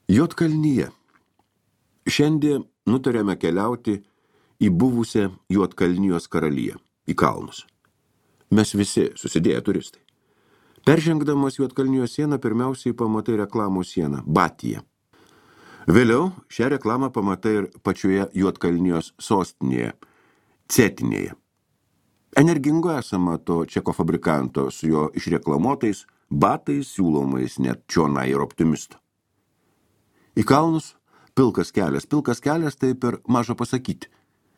Juodkalnyje. Šiandien nutarėme keliauti į buvusią Juodkalnijos karaliją, į kalnus. Mes visi susidėję turistai. Peržengdamas Juodkalnijos sieną pirmiausiai pamatai reklamų sieną – Batyje. Vėliau šią reklamą pamatai ir pačioje Juodkalnijos sostinėje – Cetinėje. Energingo esama to čeko fabrikanto su jo išreklamuotais batais, siūlomais net čionai ir optimisto. Į kalnus pilkas kelias. Pilkas kelias tai per maža pasakyti.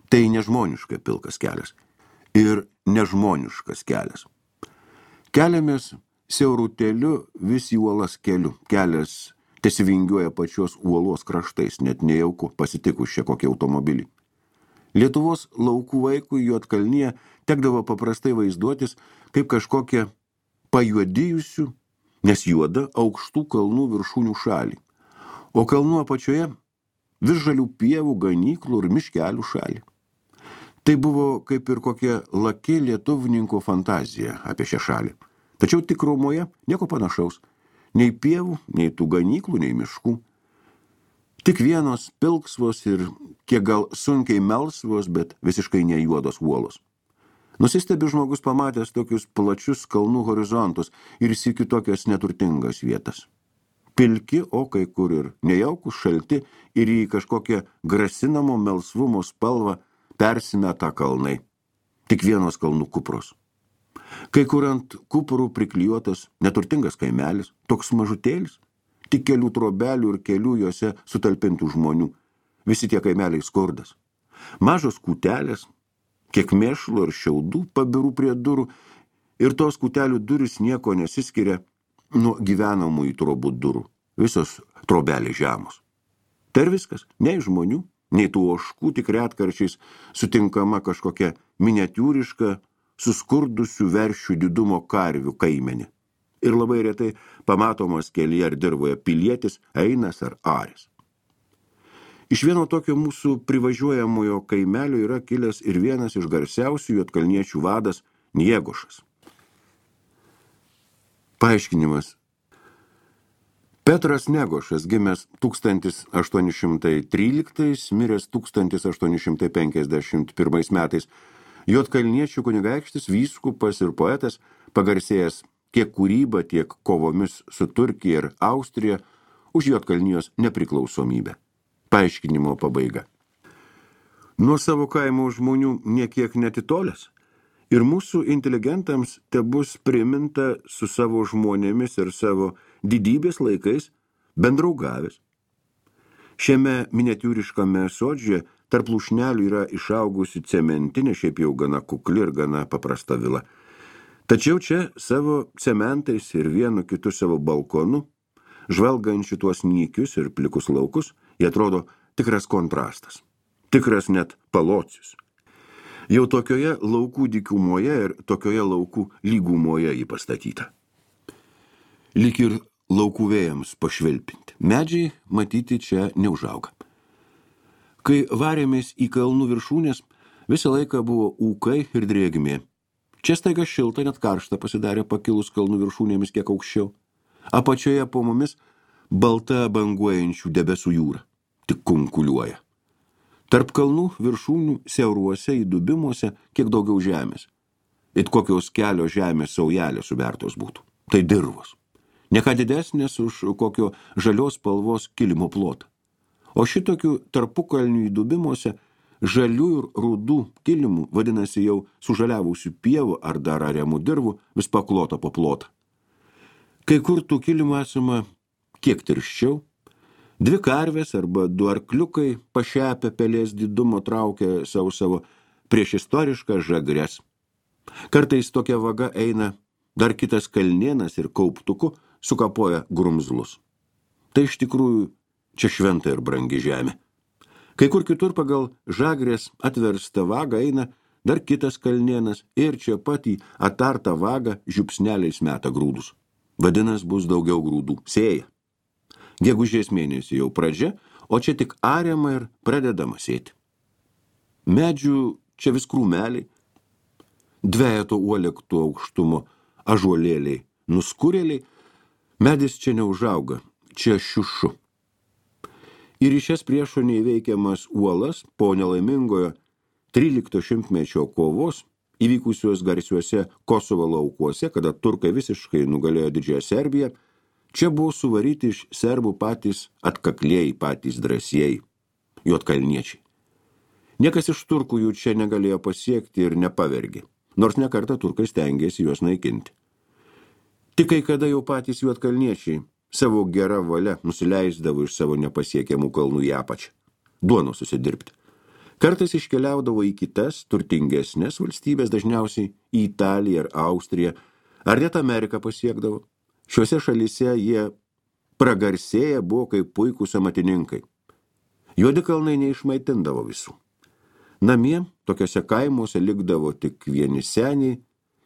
Tai nežmoniška pilkas kelias. Ir nežmoniškas kelias. Keliamės siaurutėliu vis į uolas keliu. Kelias tesivingiuoja pačios uolos kraštais, net nejauku pasitikus čia kokį automobilį. Lietuvos laukų vaikui Juodkalnyje tekdavo paprastai vaizduotis kaip kažkokia pajuodijusių, nes juoda aukštų kalnų viršūnių šalį. O kalnų apačioje vis žalių pievų, ganyklų ir miškelių šalį. Tai buvo kaip ir kokia laki lietuvininko fantazija apie šią šalį. Tačiau tikrumoje nieko panašaus. Nei pievų, nei tų ganyklų, nei miškų. Tik vienos pilksvos ir kiek gal sunkiai melsvos, bet visiškai nejuodos uolos. Nusistebi žmogus pamatęs tokius plačius kalnų horizontus ir sykiu tokias neturtingas vietas. Pilki, o kai kur ir nejaukus, šalti ir į kažkokią grasinamo melsvumo spalvą persimeta kalnai. Tik vienos kalnų kupros. Kai kur ant kuprų priklijuotas neturtingas kaimelis, toks mažutėlis, tik kelių trobelių ir kelių juose sutalpintų žmonių. Visi tie kaimeliai skurdas. Mažos kūtelės, kiek mėšlo ir šiaudų pabirų prie durų ir tos kūtelių durys nieko nesiskiria nuo gyvenamųjų trobų durų. Visos trobelės žemos. Tai ir viskas. Nei žmonių, nei tų ožkų, tik retkarčiais sutinkama kažkokia miniatiūriška, suskurdusių veršių didumo karvių kaimenė. Ir labai retai pamatomas kelyje ar dirvoje pilietis, einas ar aris. Iš vieno tokio mūsų privažiuojamojo kaimelio yra kilęs ir vienas iš garsiausių juodkalniečių vadas Niegošas. Paaiškinimas. Petras Negošas, gimęs 1813, miręs 1851 metais, juodkalniečių kunigaikštis, vyskupas ir poetas, pagarsėjęs tiek kūryba, tiek kovomis su Turkija ir Austrija už Juodkalnijos nepriklausomybę. Paaiškinimo pabaiga. Nuo savo kaimo žmonių niekiek netitolęs, ir mūsų inteligentams tebus priminta su savo žmonėmis ir savo didybės laikais bendraugavęs. Šiame miniatiūriškame sodžiuje tarp lūšnelių yra išaugusi cementinė, šiaip jau gana kukli ir gana paprasta vila. Tačiau čia savo cementais ir vienu kitu savo balkonu, žvelgant šituos nykius ir plikus laukus, jie atrodo tikras kontrastas, tikras net palocis. Jau tokioje laukų dykumoje ir tokioje laukų lygumoje jį pastatyta. Lyg ir laukų vėjams pašvilpinti. Medžiai matyti čia neužauga. Kai varėmės į kalnų viršūnės, visą laiką buvo ūkai ir drėgmė. Čia staiga šilta, net karšta pasidarė pakilus kalnų viršūnėmis kiek aukščiau. Apačioje po mumis balta banguojančių debesų jūra. Tik kunkuliuoja. Tarp kalnų viršūnių siauruose įdubimuose kiek daugiau žemės. It kokios kelio žemės saujelės subertos būtų. Tai dirvos. Ne ką didesnės už kokio žalios spalvos kilimo plotą. O šitokių tarpukalnių įdubimuose žalių ir rudų kilimų, vadinasi jau sužaliavusių pievų ar dar ariamų dirvų, vis paklota po plotą. Kai kur tų kilimų esama kiek tirščiau, dvi karvės arba du arkliukai pašepę pelės didumo traukia savo priešistorišką žagres. Kartais tokia vaga eina dar kitas kalnienas ir kauptuku sukapoja grumzlus. Tai iš tikrųjų čia šventa ir brangi žemė. Kai kur kitur pagal žagrės atverstą vagą eina dar kitas kalnienas ir čia pat į atartą vagą žiupsneliais meta grūdus. Vadinas bus daugiau grūdų. Sėja. Gegužės mėnesį jau pradžia, o čia tik ariama ir pradedama sėti. Medžių čia vis krūmeliai, dvejeto uolektų aukštumo ažuolėliai, nuskurėliai, medis čia neužauga, čia šiušu. Ir į šias priešo neįveikiamas uolas po nelaimingojo 13 šimtmečio kovos, įvykusios garsiuose Kosovo laukuose, kada turkai visiškai nugalėjo Didžiąją Serbiją, čia buvo suvaryti iš serbų patys atkaklieji, patys drąsieji, juodkalniečiai. Niekas iš turkų jų čia negalėjo pasiekti ir nepavergė, nors nekartą turkai stengėsi juos naikinti. Tik kai kada jau patys juodkalniečiai savo gerą valią nusileisdavo iš savo nepasiekiamų kalnų į apačią, duonos susidirbti. Kartais iškeliaudavo į kitas, turtingesnės valstybės, dažniausiai į Italiją ar Austriją, ar net Ameriką pasiekdavo. Šiuose šalyse jie pragarsėję buvo kaip puikūs amatininkai. Juodi kalnai neišmaitindavo visų. Namie, tokiose kaimuose likdavo tik vieni seniai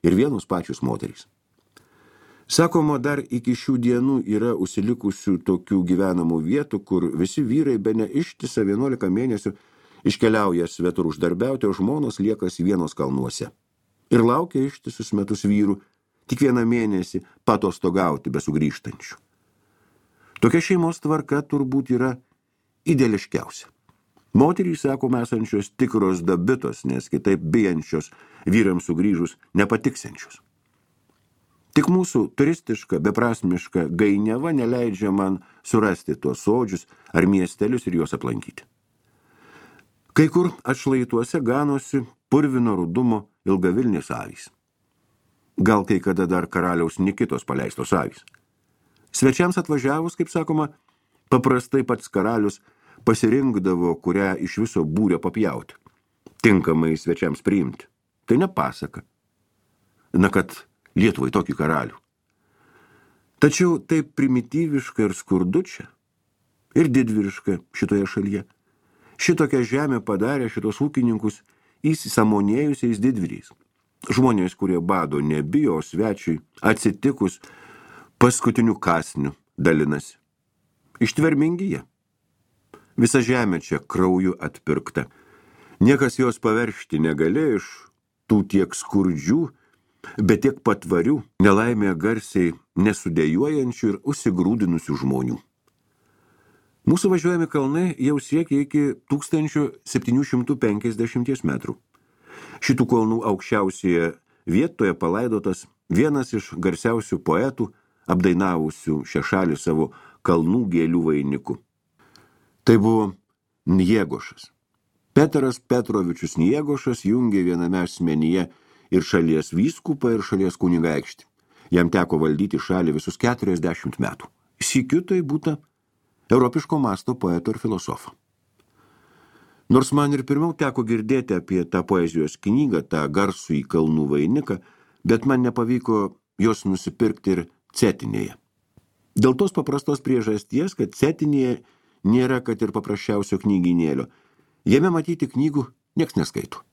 ir vienus pačius moterys. Sakoma, dar iki šių dienų yra užsilikusių tokių gyvenamų vietų, kur visi vyrai bene ištisą 11 mėnesių iškeliauja svetur uždarbiauti, o žmonos liekasi vienos kalnuose. Ir laukia ištisus metus vyrų, tik vieną mėnesį patostogauti be sugrįžtančių. Tokia šeimos tvarka turbūt yra ideališkiausia. Moterys, sakoma, esančios tikros dabitos, nes kitaip bijančios vyrams sugrįžus nepatiksenčios. Tik mūsų turistiška, beprasmiška gainiava neleidžia man surasti tuos sodžius ar miestelius ir juos aplankyti. Kai kur atšlaituose ganosi purvino rudumo ilgavilnės avys. Gal kai kada dar karaliaus Nikitos paleistos avys. Svečiams atvažiavus, kaip sakoma, paprastai pats karalius pasirinkdavo, kurią iš viso būrio papjauti, tinkamai svečiams priimti. Tai ne pasaka. Na, kad Lietuvai tokį karalių. Tačiau taip primityviška ir skurdu čia, ir didvyriška šitoje šalyje. Šitokią žemę padarė šitos ūkininkus įsisamonėjusiais didvyriais. Žmonės, kurie bado nebijo, o svečiui atsitikus paskutiniu kąsniu dalinasi. Ištvermingi jie. Visa žemė čia krauju atpirkta. Niekas jos paveršti negalėjo iš tų tiek skurdžių, bet tiek patvarių, nelaimėje garsiai nesudėjuojančių ir užsigrūdinusių žmonių. Mūsų važiuojami kalnai jau siekia iki 1750 metrų. Šitų kalnų aukščiausioje vietoje palaidotas vienas iš garsiausių poetų, apdainavusių šią šalį savo kalnų gėlių vainiku. Tai buvo Njegošas. Petras Petrovičius Njegošas jungė viename asmenyje ir šalies vyskupą, ir šalies kunigaikštį. Jam teko valdyti šalį visus 40 metų. Sykiu tai būta europiško masto poeto ir filosofo. Nors man ir pirmiau teko girdėti apie tą poezijos knygą, tą garsų į kalnų vainiką, bet man nepavyko jos nusipirkti ir Cetinėje. Dėl tos paprastos priežasties, kad Cetinėje nėra kad ir paprasčiausio knygynėlio. Jame matyti knygų nieks neskaito.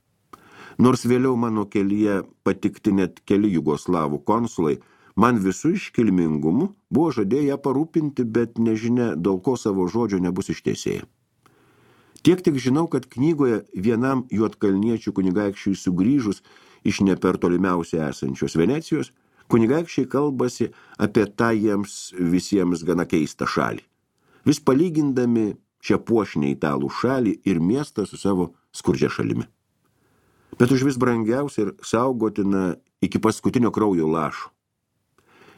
Nors vėliau mano kelyje patikti net keli jugoslavų konsulai, man visų iškilmingumu buvo žadėję parūpinti, bet nežinia, dėl ko savo žodžio nebus ištiesėję. Tiek tik žinau, kad knygoje vienam juodkalniečių kunigaikščiui sugrįžus iš ne per tolimiausiai esančios Venecijos, kunigaikščiai kalbasi apie tą jiems visiems gana keistą šalį. Vis palygindami šią puošnę italų šalį ir miestą su savo skurdžia šalimi. Bet už vis brangiausia ir saugotina iki paskutinio kraujo lašo.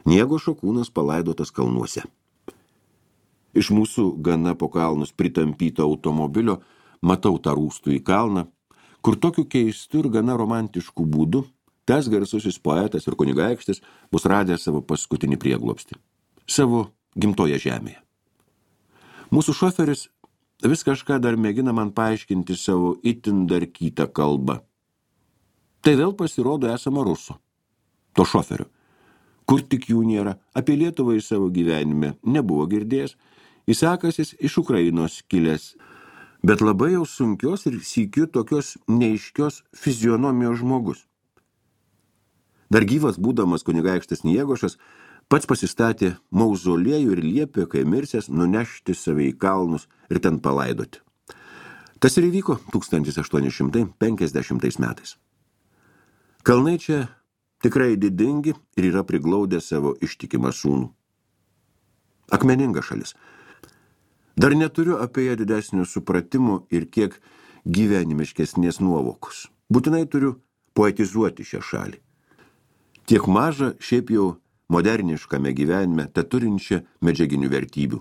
Njegošo kūnas palaidotas kalnuose. Iš mūsų gana po kalnus pritampyto automobilio matau tą rūstų į kalną, kur tokiu keistu ir gana romantišku būdu tas garsusis poetas ir kunigaikštis bus radęs savo paskutinį prieglobstį. Savo gimtoje žemėje. Mūsų šoferis vis kažką dar mėgina man paaiškinti savo itin darkytą kalbą. Tai vėl pasirodo esama ruso, to šoferio, kur tik jų nėra, apie Lietuvą į savo gyvenime nebuvo girdėjęs, įsakasis iš Ukrainos kilęs, bet labai jau sunkios ir sykiu tokios neiškios fizionomijos žmogus. Dar gyvas būdamas kunigaikštis Njegošas pats pasistatė mauzoliejų ir liepė, kai mirsęs, nunešti save į kalnus ir ten palaidoti. Tas ir įvyko 1850 metais. Kalnai čia tikrai didingi ir yra priglaudę savo ištikimą sūnų. Akmeninga šalis. Dar neturiu apie ją didesnio supratimo ir kiek gyvenimiškesnės nuovokos. Būtinai turiu poetizuoti šią šalį. Tiek maža šiaip jau moderniškame gyvenime, te turinčią medžiaginių vertybių.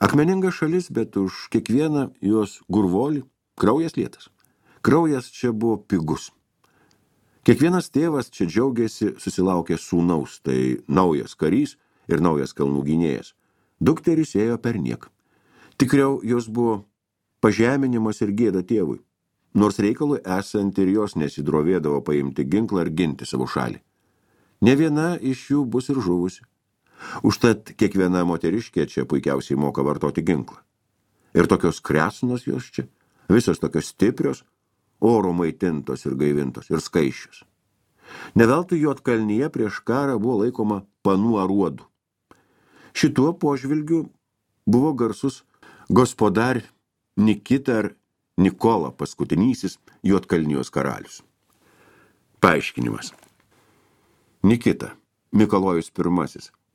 Akmeninga šalis, bet už kiekvieną jos gurvolį kraujas lietas. Kraujas čia buvo pigus. Kiekvienas tėvas čia džiaugiasi susilaukė sūnaus, tai naujas karys ir naujas kalnų gynėjas. Dukteris ėjo per nieką. Tikriau jos buvo pažeminimas ir gėda tėvui, nors reikalui esant ir jos nesidrovėdavo paimti ginklą ir ginti savo šalį. Ne viena iš jų bus ir žuvusi. Užtat kiekviena moteriškė čia puikiausiai moka vartoti ginklą. Ir tokios kresnos jos čia, visos tokios stiprios, oro maitintos ir gaivintos ir skaičius. Neveltui Juodkalnyje prieš karą buvo laikoma panų aruodų. Šituo požvilgiu buvo garsus gospodar Nikita ar Nikola paskutinysis Juodkalnijos karalius. Paaiškinimas. Nikita, Mikalojus I,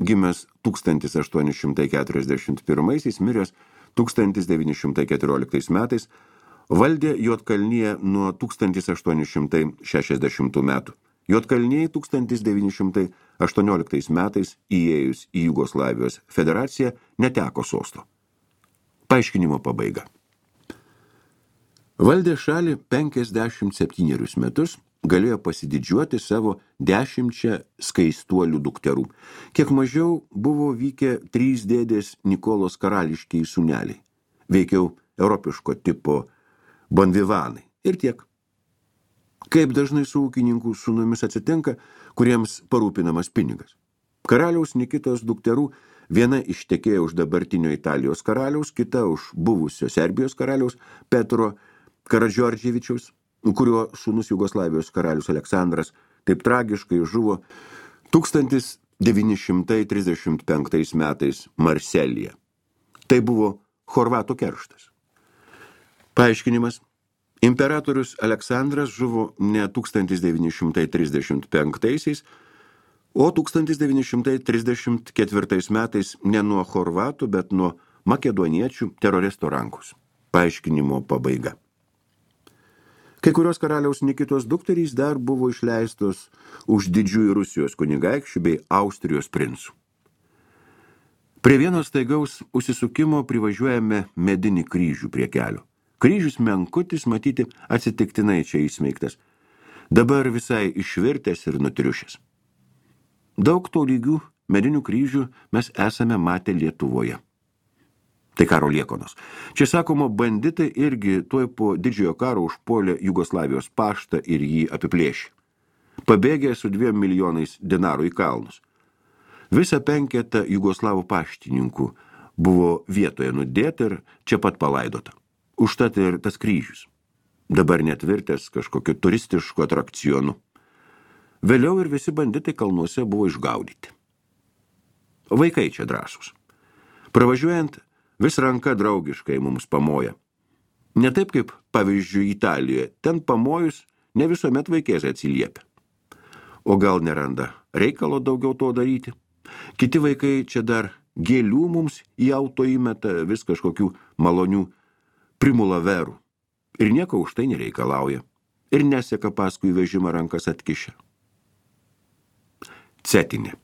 gimęs 1841, miręs 1914 metais, valdė Juodkalniją nuo 1860 metų. Juodkalnijai 1918 metais įėjus į Jugoslavijos federaciją neteko sosto. Paaiškinimo pabaiga. Valdė šalį 57 metus, galėjo pasididžiuoti savo 10 skaistuolių dukterų. Kiek mažiau buvo vykę 3 dėdės Nikolos karališkiai sūneliai, veikiau europiško tipo bonvivanai ir tiek. Kaip dažnai su ūkininkų sūnumis atsitinka, kuriems parūpinamas pinigas. Karaliaus Nikitos dukterų viena ištekėjo už dabartinio Italijos karaliaus, kita už buvusio Serbijos karaliaus Petro Karadžiordževičiaus, kurio sūnus Jugoslavijos karalius Aleksandras taip tragiškai žuvo 1935 metais Marselyje. Tai buvo Horvatų kerštas. Paaiškinimas. Imperatorius Aleksandras žuvo ne 1935, o 1934 metais ne nuo Horvatų, bet nuo makedoniečių teroristų rankos. Paaiškinimo pabaiga. Kai kurios karaliaus Nikitos dukterys dar buvo išleistos už didžiųjų Rusijos kunigaikščių bei Austrijos princų. Prie vieno staigaus užsisukimo privažiuojame medinį kryžių prie kelio. Kryžius menkutis, matyti, atsitiktinai čia įsmeigtas. Dabar visai išvirtęs ir nutriušęs. Daug to lygių medinių kryžių mes esame matę Lietuvoje. Tai karo liekonos. Čia sakoma, banditai irgi tuoj po didžiojo karo užpuolė Jugoslavijos paštą ir jį apiplėšė. Pabėgė su 2 milijonais dinarų į kalnus. Visa 5 jugoslavų paštininkų buvo vietoje nudėta ir čia pat palaidota. Užtat ir tas kryžius. Dabar netvirtęs kažkokiu turistišku atrakcionu. Vėliau ir visi banditai kalnuose buvo išgaudyti. Vaikai čia drąsūs. Pravažiuojant, vis ranka draugiškai mums pamoja. Ne taip kaip, pavyzdžiui, Italijoje. Ten pamojus ne visuomet vaikėsai atsiliepia. O gal neranda reikalo daugiau to daryti? Kiti vaikai čia dar gėlių mums į auto įmeta, vis kažkokių malonių primulaverų. Ir nieko už tai nereikalauja. Ir neseka paskui vežimą rankas atkišę. Cetinė.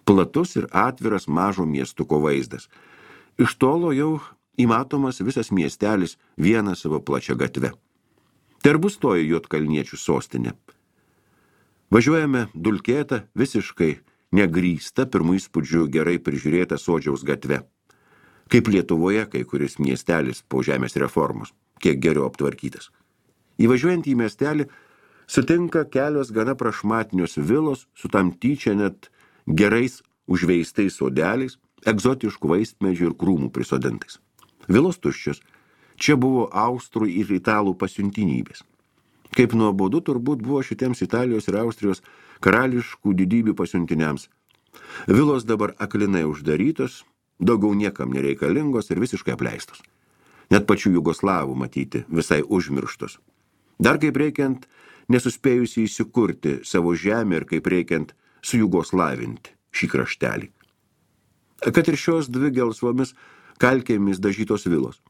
Platus ir atviras mažo miestuko vaizdas. Iš tolo jau įmatomas visas miestelis vieną savo plačią gatvę. Tai ir bus toji Juodkalniečių sostinė. Važiuojame dulkėtą, visiškai negrįsta, pirmų įspūdžių gerai prižiūrėta Sodžiaus gatve. Kaip Lietuvoje kai kuris miestelis po žemės reformos, kiek geriau aptvarkytas. Įvažiuojant į miestelį, sutinka kelios gana prašmatnios vilos su tam tyčia net gerais užveistais sodeliais, egzotiškų vaistmedžių ir krūmų prisodintais. Vilos tuščios. Čia buvo austrų ir italų pasiuntinybės. Kaip nuobodu turbūt buvo šitiems Italijos ir Austrijos karališkų didybių pasiuntiniams. Vilos dabar aklinai uždarytos, daugiau niekam nereikalingos ir visiškai apleistos. Net pačių jugoslavų matyti visai užmirštos. Dar kaip reikiant nesuspėjusi įsikurti savo žemę ir kaip reikiant sujugoslavinti šį kraštelį. Kad ir šios 2 gelsvomis kalkėmis dažytos vilos.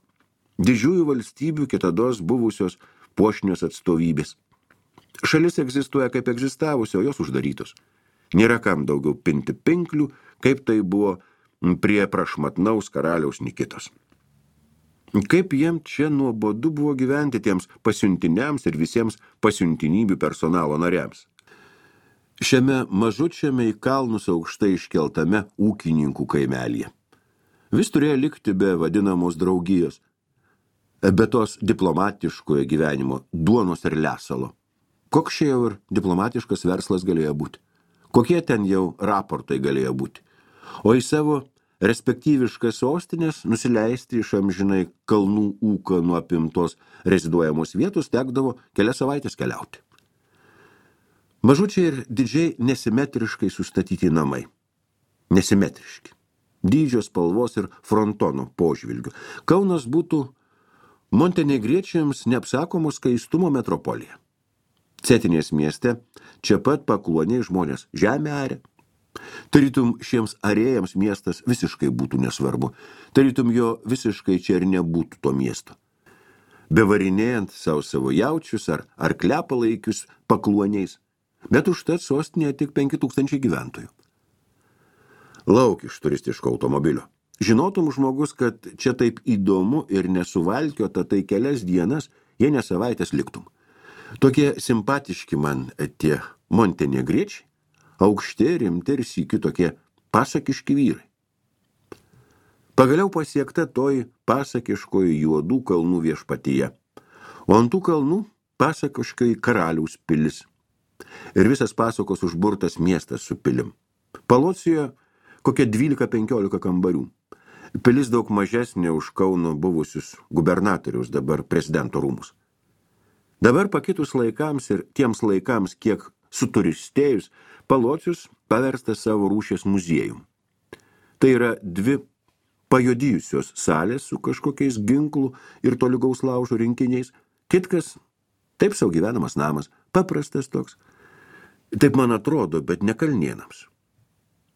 Didžiųjų valstybių kitados buvusios puošnios atstovybės. Šalis egzistuoja kaip egzistavusi, o jos uždarytos. Nėra kam daugiau pinti pinklių, kaip tai buvo prie prašmatnaus karaliaus Nikitos. Kaip jiem čia nuobodu buvo gyventi tiems pasiuntiniams ir visiems pasiuntinybių personalo nariams. Šiame mažučiame į kalnus aukštai iškeltame ūkininkų kaimelyje. Vis turėjo likti be vadinamos draugijos, be tos diplomatiškojo gyvenimo duonos ir lesalo. Koks čia jau ir diplomatiškas verslas galėjo būti? Kokie ten jau raportai galėjo būti? O į savo respektyviškas sostinės nusileisti iš amžinai kalnų ūką nuo apimtos reziduojamos vietos tekdavo kelias savaitės keliauti. Mažučiai ir didžiai nesimetriškai sustatyti namai. Nesimetriški. Dydžio spalvos ir frontono požvilgių. Kaunas būtų montenegriečiams neapsakomos skaistumo metropolija. Cetinės mieste čia pat pakluoniai žmonės žemę arė. Tarytum šiems arėjams miestas visiškai būtų nesvarbu. Tarytum jo visiškai čia ir nebūtų to miesto. Bevarinėjant savo jaučius ar klepalaikius pakluoniais, bet užtat sostinėje tik 5000 gyventojų. Lauk iš turistiško automobilio. Žinotum žmogus, kad čia taip įdomu ir nesuvalkiota, tai kelias dienas, jei ne savaitės liktum. Tokie simpatiški man tie montenegriečiai, aukšti, rimti ir sykiu tokie pasakiški vyrai. Pagaliau pasiekta toji pasakiškoji juodų kalnų viešpatyje, o ant tų kalnų pasakiškai karaliaus pilis. Ir visas pasakos užburtas miestas su pilim. Palocijoje kokie 12-15 kambarių. Pilis daug mažesnė už Kauno buvusius gubernatoriaus, dabar prezidento rūmus. Dabar pakitus laikams ir tiems laikams, kiek suturistėjus, Palocius paversta savo rūšies muziejum. Tai yra 2 pajodijusios salės su kažkokiais ginklų ir tolygaus laužo rinkiniais. Kitkas taip sau gyvenamas namas, paprastas toks. Taip man atrodo, bet ne Kalnėnams.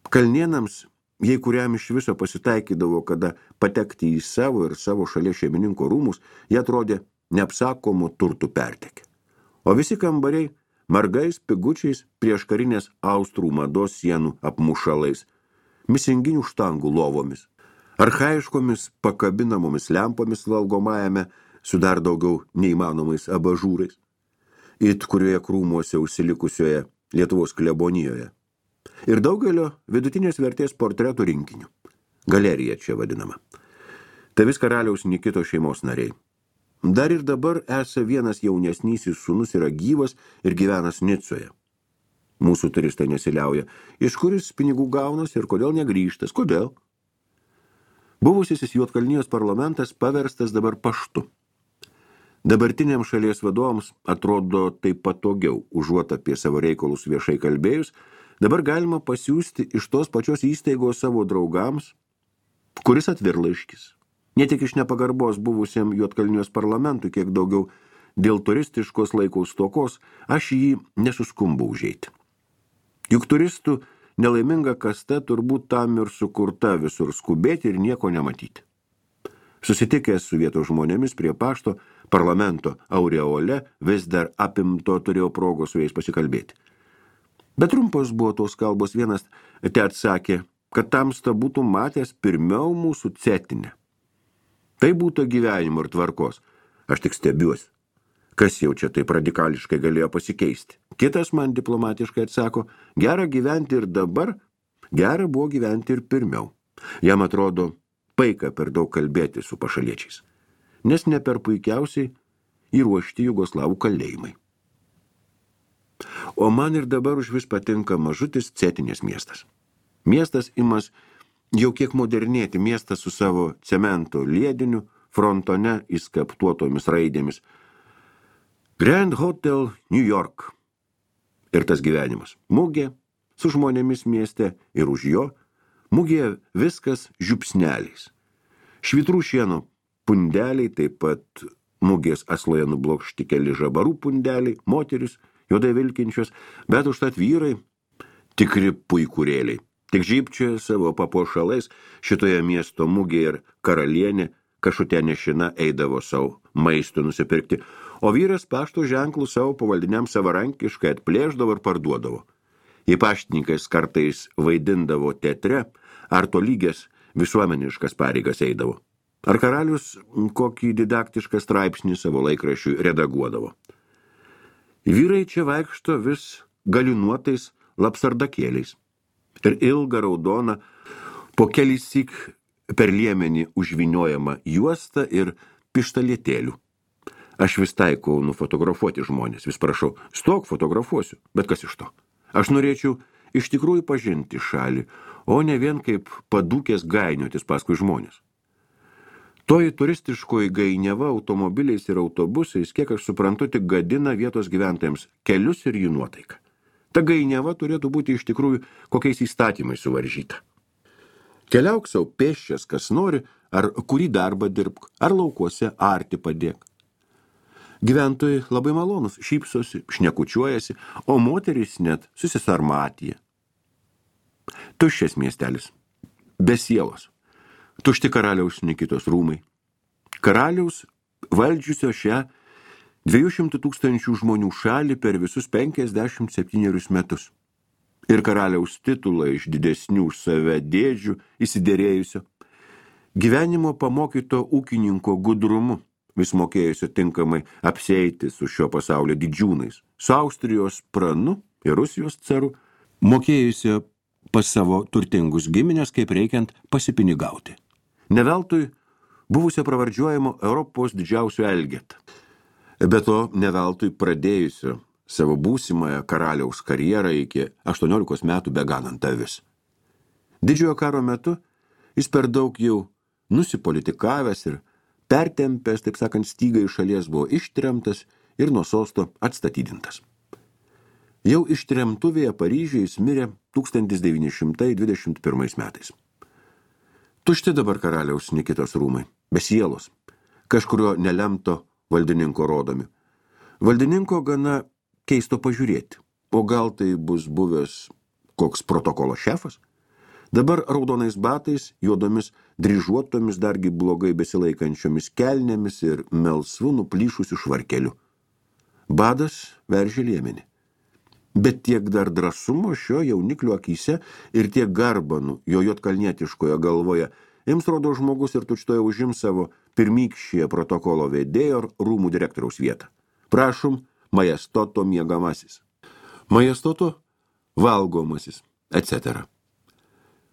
Kalnėnams, jei kuriam iš viso pasitaikydavo, kada patekti į savo ir savo šalies šeimininko rūmus, jie atrodė neapsakomų turtų pertekę. O visi kambariai margais pigučiais prieš karinės austrų mados sienų apmušalais, misinginių štangų lovomis, archaiškomis pakabinamomis lempomis valgomajame su dar daugiau neįmanomais abažūrais, it kurioje krūmuose užsilikusioje Lietuvos klebonijoje. Ir daugelio vidutinės vertės portretų rinkinių. Galerija čia vadinama. Tai vis karaliaus Nikito šeimos nariai. Dar ir dabar esa vienas jaunesnysis sūnus yra gyvas ir gyvenas Nicoje. Mūsų turistai nesiliauja. Iš kuris pinigų gaunas ir kodėl negrįžtas? Kodėl? Buvusysis Juodkalnijos parlamentas paverstas dabar paštu. Dabartiniams šalies vadovams atrodo taip patogiau, užuot apie savo reikalus viešai kalbėjus, dabar galima pasiųsti iš tos pačios įstaigos savo draugams, kuris atvirlaiškis. Ne tik iš nepagarbos buvusiam Juodkalnijos parlamentui, kiek daugiau dėl turistiškos laikaus stokos, aš jį nesuskumbu užeiti. Juk turistų nelaiminga kasta turbūt tam ir sukurta visur skubėti ir nieko nematyti. Susitikęs su vietos žmonėmis prie pašto, parlamento aureole vis dar apimto turėjo progos su jais pasikalbėti. Bet trumpos buvo tos kalbos, vienas te atsakė, kad tamsta būtų matęs pirmiau mūsų cetinę. Tai būtų gyvenimo ir tvarkos. Aš tik stebiuosi. Kas jau čia taip radikališkai galėjo pasikeisti? Kitas man diplomatiškai atsako, gera gyventi ir dabar, gera buvo gyventi ir pirmiau. Jam atrodo, paika per daug kalbėti su pašaliečiais, nes ne per puikiausiai įruošti jugoslavų kalėjimai. O man ir dabar užvis patinka mažutis cetinės miestas. Miestas imas jau kiek modernėti, miestas su savo cemento liediniu, frontone įskaptuotomis raidėmis. Grand Hotel New York. Ir tas gyvenimas. Mugė su žmonėmis mieste ir už jo. Mugėje viskas žiupsneliais. Švitrų šieno pundeliai, taip pat mugės asloje nublokšti keli žabarų pundeliai, moteris, juodai vilkinčios, bet užtat vyrai tikri puikurėliai. Tik žypčioja savo papuošalais šitoje miesto mugėje ir karalienė kažkokia nešina eidavo savo maisto nusipirkti, o vyras pašto ženklų savo pavaldiniams savarankiškai atplėždavo ir parduodavo. Jei paštininkas kartais vaidindavo teatre, ar tolygės visuomeniškas pareigas eidavo. Ar karalius kokį didaktišką straipsnį savo laikraščiui redaguodavo. Vyrai čia vaikšto vis galinuotais lapsardakėliais ir ilga raudona, po kelissyk per liemenį užvyniojama juosta ir pištalietėlių. Aš vis taikau nufotografuoti žmonės, vis prašau, stok fotografuosiu, bet kas iš to? Aš norėčiau iš tikrųjų pažinti šalį, o ne vien kaip padūkės gainiotis paskui žmonės. Toji turistiškoji gainiava automobiliais ir autobusais, kiek aš suprantu, tik gadina vietos gyventojams kelius ir jų nuotaiką. Ta gainiava turėtų būti iš tikrųjų kokiais įstatymais suvaržyta. Keliauk savo pėsčias, kas nori, ar kurį darbą dirbk, ar laukuose arti padėk. Gyventojai labai malonus, šypsosi, šnekučiuojasi, o moterys net susisarmatija. Tuščias miestelis, be sielos, tušti karaliaus Nikitos rūmai. Karaliaus valdžiusio šią 200 000 žmonių šalį per visus 57 metus. Ir karaliaus titulą iš didesnių už save dėdžių įsidėrėjusio. Gyvenimo pamokyto ūkininko gudrumu, vis mokėjusio tinkamai apsieiti su šio pasaulio didžiūnais, su Austrijos pranu ir Rusijos caru, mokėjusio pas savo turtingus giminės, kaip reikiant pasipinigauti. Neveltui buvusio pravardžiuojamo Europos didžiausio Elgetą. Be to, neveltui pradėjusio savo būsimąją karaliaus karjerą iki 18 metų beganant avis. Didžiojo karo metu jis per daug jau nusipolitikavęs ir pertempęs, taip sakant, stygą iš šalies buvo ištremtas ir nuo sosto atstatydintas. Jau ištremtuvėje Paryžiuje jis mirė 1921 metais. Tušti dabar karaliaus Nikitos rūmai, be sielos, kažkurio nelemto valdininko rodomi. Valdininko gana keisto pažiūrėti, o gal tai bus buvęs koks protokolo šefas? Dabar raudonais batais, juodomis dryžuotomis, dargi blogai besilaikančiomis kelnėmis ir melsvu nuplyšusiu švarkeliu. Badas veržė liemenį. Bet tiek dar drąsumo šio jauniklio akyse ir tiek garbanų jo juodkalnietiškoje galvoje jiems rodo žmogus ir tučtoje užims savo pirmykščiąją protokolo vedėjo ar rūmų direktoriaus vietą. Prašom, majestoto miegamasis, majestoto valgomasis, etc.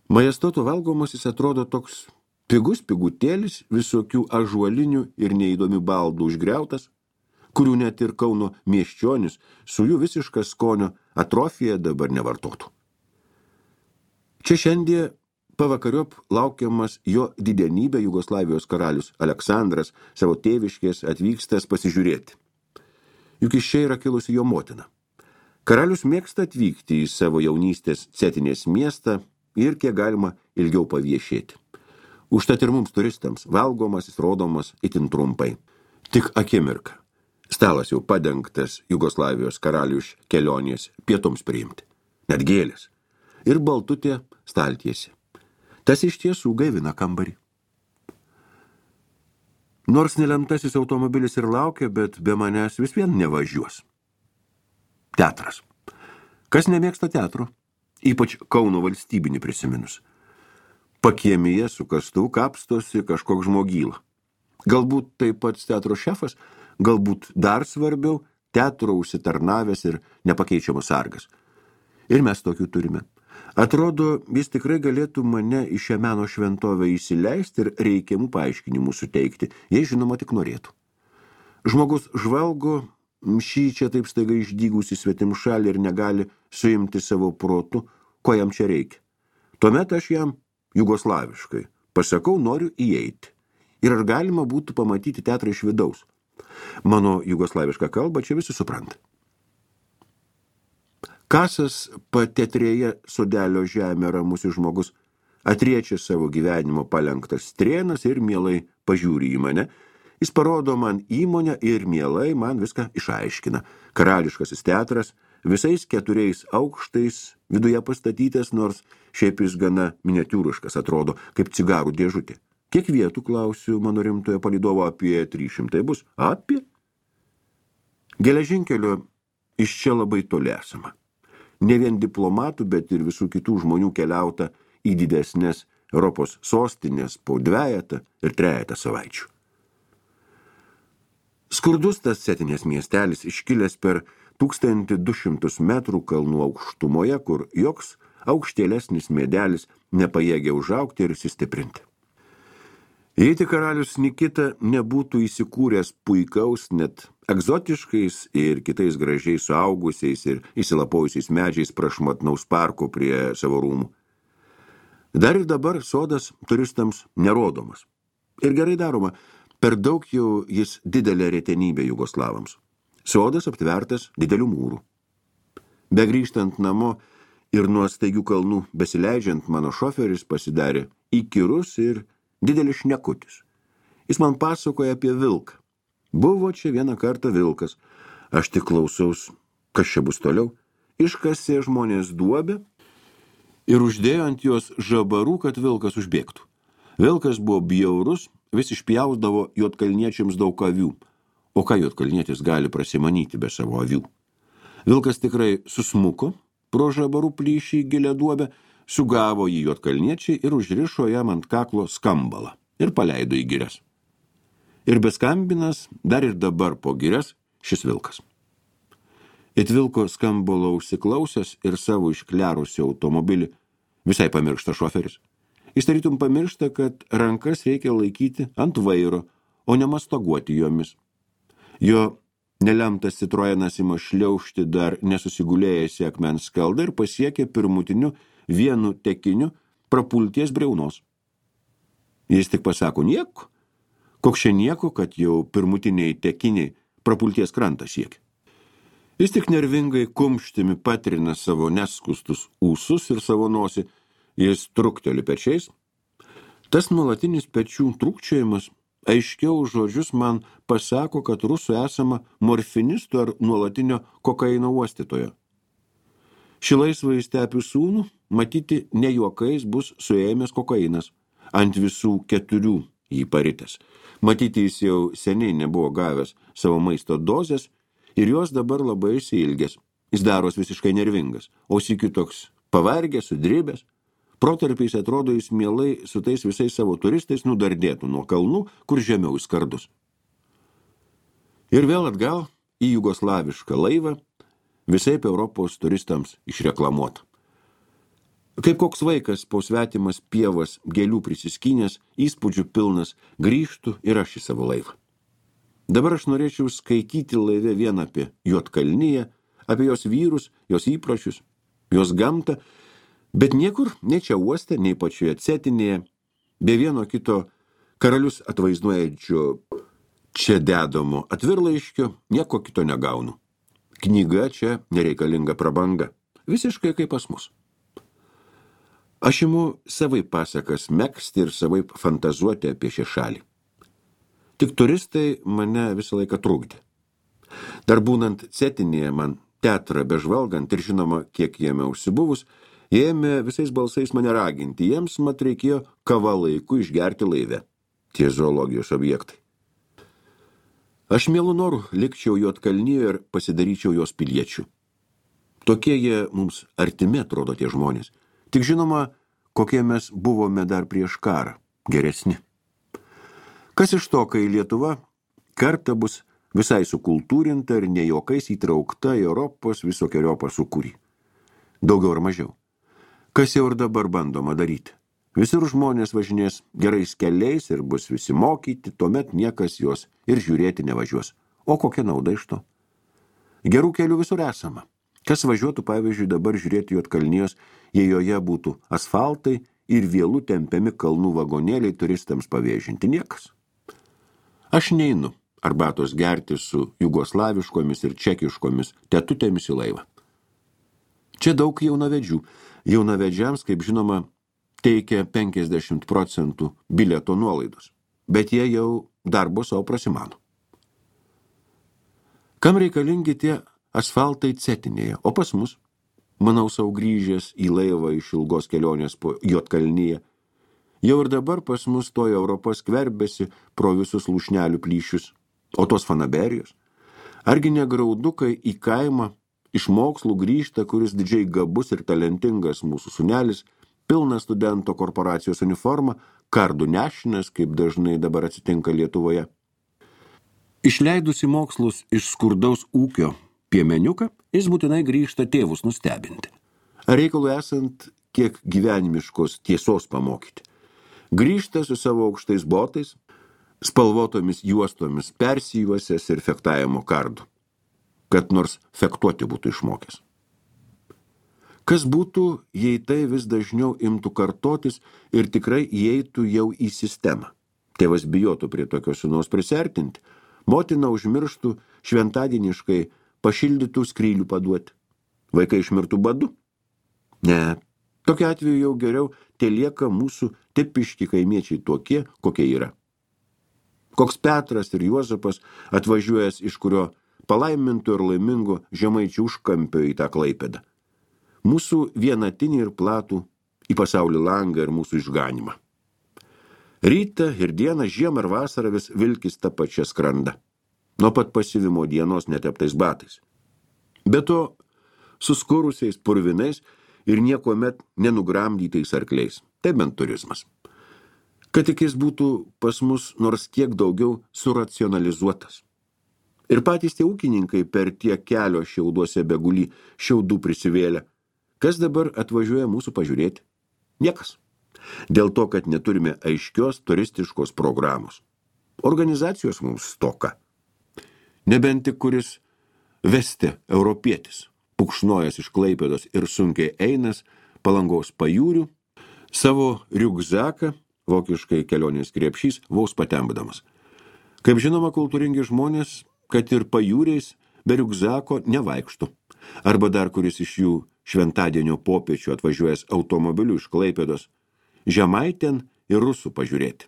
Majestoto valgomasis atrodo toks pigus pigutėlis, visokių ažuolinių ir neįdomių baldų užgriautas, kurių net ir Kauno miesčionis su jų visiška skonio atrofija dabar nevartotų. Čia šiandien pavakariop laukiamas jo didenybė Jugoslavijos karalius Aleksandras savo tėviškės atvykstęs pasižiūrėti. Juk iš čia yra kilusi jo motina. Karalius mėgsta atvykti į savo jaunystės Cetinės miestą ir kiek galima ilgiau paviešėti. Užtat ir mums turistams valgomasis rodomas itin trumpai. Tik akimirka. Stalas jau padengtas Jugoslavijos karalių iš kelionės pietums priimti. Net gėlės. Ir baltutė staltiesė. Tas iš tiesų gaivina kambarį. Nors nelemtasis automobilis ir laukia, bet be manęs vis vien nevažiuos. Teatras. Kas nemėgsta teatro? Ypač Kauno valstybinį prisiminus. Pakiemyje su kastuvu kapstosi kažkoks žmogyla. Galbūt taip pat teatro šefas, galbūt dar svarbiau teatro užsitarnavęs ir nepakeičiamas sargas. Ir mes tokių turime. Atrodo, jis tikrai galėtų mane į šią meno šventovę įsileisti ir reikiamų paaiškinimų suteikti, jei žinoma tik norėtų. Žmogus žvalgo šį čia taip staiga išdygusi svetimšalį ir negali suimti savo protu, ko jam čia reikia. Tuomet aš jam jugoslaviškai pasakau, noriu įeiti. Ir ar galima būtų pamatyti teatrą iš vidaus? Mano jugoslavišką kalbą čia visi supranta. Kasas patetrėje sodelio žemė ramusi žmogus atriečia savo gyvenimo palenktas strėnas ir mielai pažiūri į mane. Jis parodo man įmonę ir mielai man viską išaiškina. Karališkasis teatras visais 4 aukštais viduje pastatytas, nors šiaip jis gana miniatiūriškas atrodo, kaip cigarų dėžutė. Kiek vietų, klausiu mano rimtojo palydovo, apie 300 bus? Apie? Geležinkelio iš čia labai toli esama. Ne vien diplomatų, bet ir visų kitų žmonių keliauta į didesnės Europos sostinės po 2 ir 3 savaičių. Skurdus tas Cetinės miestelis iškilęs per 1200 metrų kalnų aukštumoje, kur joks aukštėlesnis medelis nepajėgė užaugti ir įsistiprinti. Jei tik karalius Nikita nebūtų įsikūręs puikaus, net egzotiškais ir kitais gražiai suaugusiais ir įsilapojusiais medžiais prašmatnaus parko prie savo rūmų. Dar ir dabar sodas turistams nerodomas. Ir gerai daroma, per daug jau jis didelė retenybė jugoslavams. Sodas aptvertas didelių mūrų. Begrįžtant namo ir nuo staigių kalnų besileidžiant, mano šoferis pasidarė įkyrus ir didelis šnekutis. Jis man pasakoja apie vilką. Buvo čia vieną kartą vilkas. Aš tik klausaus, kas čia bus toliau. Iškasė žmonės duobę ir uždėjo ant jos žabarų, kad vilkas užbėgtų. Vilkas buvo bjaurus, vis išpjausdavo juodkalniečiams daug avių. O ką juodkalnietis gali prasimanyti be savo avių? Vilkas tikrai susmuko pro žabarų plyšį į gilią duobę, sugavo jį juodkalniečiai ir užrišo jam ant kaklo skambalą ir paleido į girias. Ir beskambinas dar ir dabar po girias šis vilkas. It vilko skambalo užsiklausęs ir savo išklerusį automobilį visai pamiršta šoferis. Jis tarytum pamiršta, kad rankas reikia laikyti ant vairo, o ne mastaguoti jomis. Jo nelemtas Citroenas ima šliaužti dar nesusigulėjęs į akmens skaldą ir pasiekė pirmutiniu vienu tekiniu prapulties briaunos. Jis tik pasako nieko, koks čia nieko, kad jau pirmutiniai tekiniai prapulties krantą siekia. Jis tik nervingai kumštimi patrina savo neskustus ūsus ir savo nosį, jis trukteli pečiais. Tas nuolatinis pečių trūkčiojimas aiškiau žodžius man pasako, kad rusų esama morfinistų ar nuolatinio kokaino uostytojo. Šį laisvąjį stepių sūnų matyti ne juokais bus suėmęs kokainas, ant visų 4 jį paritęs. Matyti jis jau seniai nebuvo gavęs savo maisto dozės ir jos dabar labai išsiilgęs. Jis daros visiškai nervingas, o sykiu toks pavargęs, sudribęs. Protarpiais atrodo jis mielai su tais visais savo turistais nudardėtų nuo kalnų, kur žemiau skardus. Ir vėl atgal į jugoslavišką laivą, visai Europos turistams išreklamuota. Kaip koks vaikas po svetimas pievas gėlių prisiskynęs, įspūdžių pilnas, grįžtų ir aš į savo laivą. Dabar aš norėčiau skaityti laive vien apie Juodkalniją, apie jos vyrus, jos įpročius, jos gamtą, bet niekur, nei čia uoste, nei pačioje Cetinėje, be vieno kito karalius atvaizduojančio čia dedamo atvirlaiškio, nieko kito negaunu. Knyga čia nereikalinga prabanga, visiškai kaip pas mus. Aš imu savaip pasakas megzti ir savaip fantazuoti apie šią šalį. Tik turistai mane visą laiką trukdė. Dar būnant Cetinėje man teatrą bežvalgant ir žinoma, kiek jame užsibuvus, jie ėmė visais balsais mane raginti, jiems mat reikėjo kava laiku išgerti laive, tie zoologijos objektai. Aš mielų norų likčiau Juodkalnijoje ir pasidaryčiau jos piliečių. Tokie jie mums artimi atrodo tie žmonės. Tik žinoma, kokie mes buvome dar prieš karą, geresni. Kas iš to, kai Lietuva kartą bus visai sukultūrinta ir ne juokais įtraukta į Europos visokiojopą sūkurį. Daugiau ar mažiau. Kas jau ir dabar bandoma daryti. Visur žmonės važinės gerais keliais ir bus visi mokyti, tuomet niekas juos ir žiūrėti nevažiuos. O kokia nauda iš to? Gerų kelių visur esama. Kas važiuotų, pavyzdžiui, dabar žiūrėti Juodkalnijos, jei joje būtų asfaltai ir vėlų tempiami kalnų vagonėliai turistams pavėžinti? Niekas. Aš neinu arbatos gerti su jugoslaviškomis ir čekiškomis tetutėmis į laivą. Čia daug jaunavedžių. Jaunavedžiams, kaip žinoma, teikia 50% bilieto nuolaidos, bet jie jau darbo savo prasimano. Kam reikalingi tie asfaltai cetinėje, o pas mus, manau sau grįžęs į laivą iš ilgos kelionės po Juodkalniją, jau ir dabar pas mus toji Europa skverbėsi pro visus lūšnelių plyšius, o tos fanaberijos. Argi negraudukai į kaimą iš mokslų grįžta, kuris didžiai gabus ir talentingas mūsų sūnelis, pilnas studento korporacijos uniforma, kardų nešinas, kaip dažnai dabar atsitinka Lietuvoje. Išleidusi mokslus iš skurdaus ūkio piemeniuką, jis būtinai grįžta tėvus nustebinti. Ar reikalų esant, kiek gyvenimiškos tiesos pamokyti. Grįžta su savo aukštais botais, spalvotomis juostomis persijuosęs ir fektavimo kardu, kad nors fektuoti būtų išmokęs. Kas būtų, jei tai vis dažniau imtų kartotis ir tikrai įeitų jau į sistemą? Tėvas bijotų prie tokio sūnaus prisertinti, motina užmirštų šventadieniškai pašildytų skrylių paduoti. Vaikai išmirtų badu? Ne, tokiu atveju jau geriau telieka mūsų tipiški kaimiečiai tokie, kokie yra. Koks Petras ir Juozapas atvažiuojęs iš kurio palaimintų ir laimingo žemaičių užkampio į tą Klaipėdą. Mūsų vienatinį ir platų į pasaulį langą ir mūsų išganimą. Rytą ir dieną, žiemą ir vasarą vis vilkis tą pačią skrandą. Nuo pat pasivimo dienos neteptais batais. Be to, suskurusiais purvinais ir niekuomet nenugramdytais arkliais. Tai bent turizmas. Kad tik jis būtų pas mus nors kiek daugiau suracionalizuotas. Ir patys tie ūkininkai per tiek kelio šiauduose begulį šiaudų prisivėlę. Kas dabar atvažiuoja mūsų pažiūrėti? Niekas. Dėl to, kad neturime aiškios turistiškos programos. Organizacijos mums stoka. Nebent tik kuris vesti europietis, pukšnojas iš Klaipėdos ir sunkiai einas Palangos pajūrių, savo riugzaką, vokiškai kelionės krepšys, vos patempdamas. Kaip žinoma, kultūringi žmonės, kad ir pajūriais be riugzako nevaikštų. Arba dar kuris iš jų šventadienio popiečių atvažiuojęs automobiliu iš Klaipėdos, Žemaitėn ir Rusų pažiūrėti.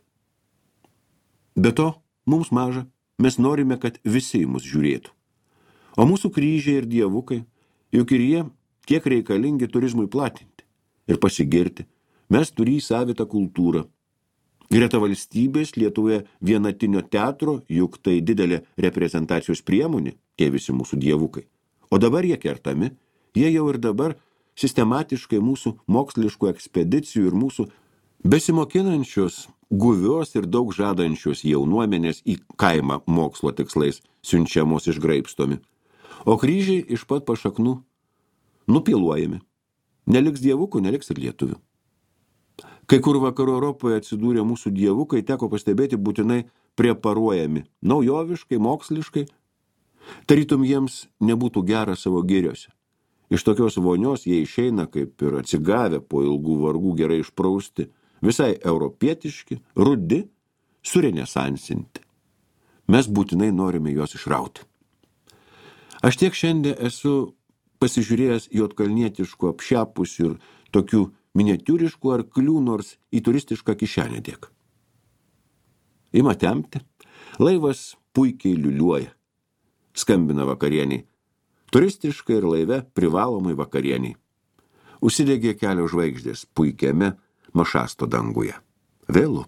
Be to, mums maža, mes norime, kad visi mus žiūrėtų. O mūsų kryžiai ir dievukai, juk ir jie kiek reikalingi turizmui platinti ir pasigirti, mes turį savitą kultūrą. Greta valstybės Lietuvoje vienatinio teatro, juk tai didelė reprezentacijos priemonė, tie visi mūsų dievukai. O dabar jie kertami, jie jau ir dabar sistematiškai mūsų moksliškų ekspedicijų ir mūsų besimokinančios, guvios ir daug žadančios jaunuomenės į kaimą mokslo tikslais siunčiamos išgraibstomi. O kryžiai iš pat pašaknų nupiluojami. Neliks dievukų, neliks ir lietuvių. Kai kur vakarų Europoje atsidūrė mūsų dievukai, teko pastebėti būtinai preparuojami, naujoviškai, moksliškai. Tarytum jiems nebūtų gera savo giriose. Iš tokios vonios jie išeina, kaip ir atsigavę po ilgų vargų gerai išprausti, visai europietiški, rudi, surenesansinti. Mes būtinai norime juos išrauti. Aš tiek šiandien esu pasižiūrėjęs juodkalnietiškų apšepusių ir tokių miniatiūriškų arklių, nors į turistišką kišenę dėk. Ima tempti, laivas puikiai liuliuoja, skambina vakarieniai, turistiškai ir laive privalomai vakarieniai. Užsidegė kelio žvaigždės puikiame Mašasto danguje. Vėlu.